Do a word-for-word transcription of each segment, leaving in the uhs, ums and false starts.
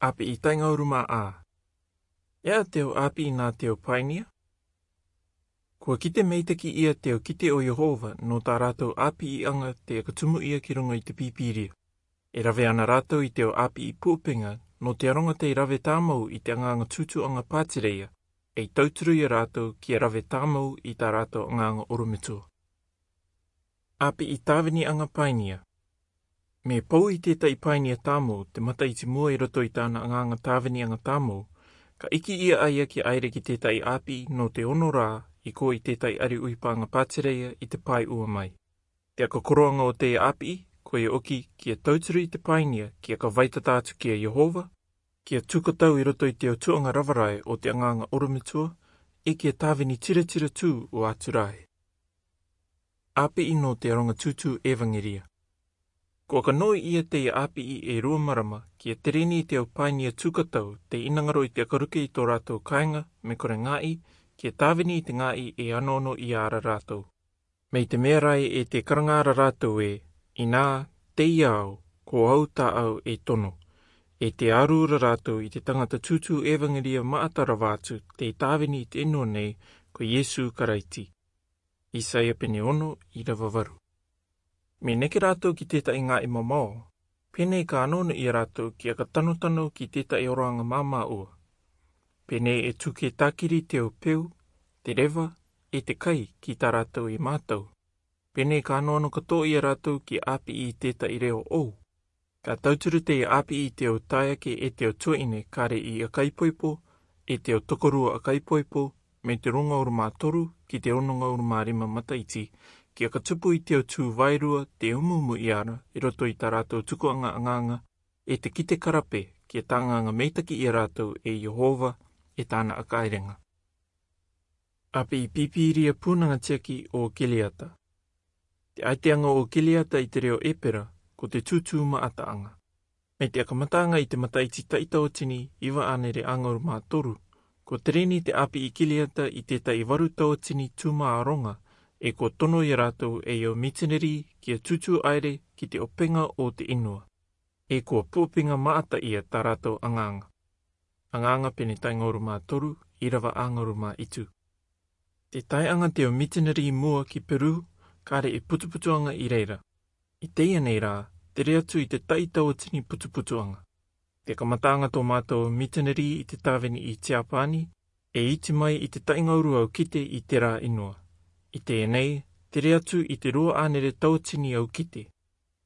Api i tainga uruma a. E a teu api i na teu painia? Kua kite meitaki ia teu kite o Yehova no ta ratou api i anga te ka tumu ia ki runga i te pipiria. E rave ana ratou i teu api i pupenga no te aronga te rave tamau i te anganga tutu anga patireia. E tauturu ia ratou ki a rave tamau i ta ratou anganga orometua. Api i tavini anga painia. Me pou i te tai painia tamau te mataiti mua i roto i tana anganga tavini anga tamau, ka iki ia aia ki aire ki te tai api no te ono ra i ko i te tai ari uipanga patireia i te pai ua mai. Te akokoroanga o te api, ko ia oki ki a tauturu i te painia ki a ka vaitata atu ki a Yehova, ki a tukatau i roto i te otuanga ravarae o te anganga orometua, e ki a tavini tiratira tu o aturae. Api i no te aronga tutu evangeria. Ko ka noi ia te api i e rua marama ki a tereni te au painia tukatau te inangaro i te akaruke i to ratou kainga me kore ngai, ki a tavini i te ngai e anono i ara ratou. Mei te mea rai e te karanga ara ratou e, i na, te iau, ko au ta au e tono. E te aru ra ratou i te tangata tutu evangeria maata rava atu te tavini i te inua nei, ko Iesu Karaiti. Isaia pene ono i rava varu. Me neke ratou ki te tai ngai mamao, pene ka anono ia ratou ki a ka tanotano ki te tai oroanga mamaua. Pene e tuke takiri te o peu, te reva, e te kai ki ta ratou i matau. Pene ka anono katoa ia ratou ki api i te tai reo ou. Ka tauturu te api i te o taeake e te o tuaine kare i a kaipoipo, e te o tokorua a kaipoipo, me te ronga uruma toru ki te ononga uruma rima mataiti, ki a ka tupu i te o tu vairua te umumu i ara i roto i ta ratou tukuanga anganga, e te kite karape ki a tanganga meitaki ia ratou e Yehova, e tana akairenga. Api i pipiria punanga tiaki o Kiliata. Te aiteanga o Kiliata i te reo Epera, ko te tutu maataanga. Me te akamatanga i te mataiti taitawatini iva anere anga uruma toru, ko tereni te api i Kiliata i te tai varu tawatini tuma aronga, e ko tono ia ratou e o mitineri ki a tutu aire ki te openga o te inua. E kua pupenga maata ia ta ratou anganga. Anganga pene tainga uruma toru, i rava anga uruma itu. Te taeanga te o mitineri mua ki Peru, kare e putuputuanga i reira. I teia nei ra, tere atu i te tai tawatini putuputuanga. Te kamatanga to matou mitineri i te tavini i Tiapani, e iti mai i te tainga uru au kite i tera inua. I teia nei, tere atu i te rua anere tawatini au kite.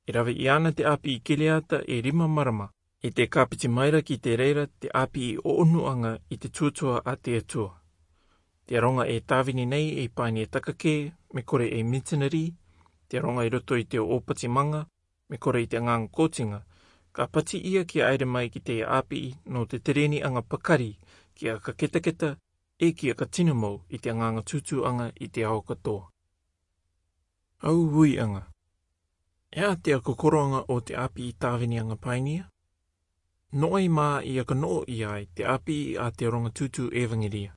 E rave i ana te api i Kiliata e rima marama, e te kapiti maira ki te reira te api i onuanga i te tuatua a te Atua. Te aronga e tavini nei e paini e takake, me kore e mitineri, te aronga i roto i te opati manga, me kore i te anganga kotinga, ka pati ia ki aire mai ki te api i no te tereni anga pakari, ki a ka ketaketa, e ki a ka tinamau i te anganga tutuanga i te ao katoa. Au uianga. E a te akokoroanga o te api i tavini anga painia? Noa i ma i a ka noo i ai te api i a te ronga tutu evangeria.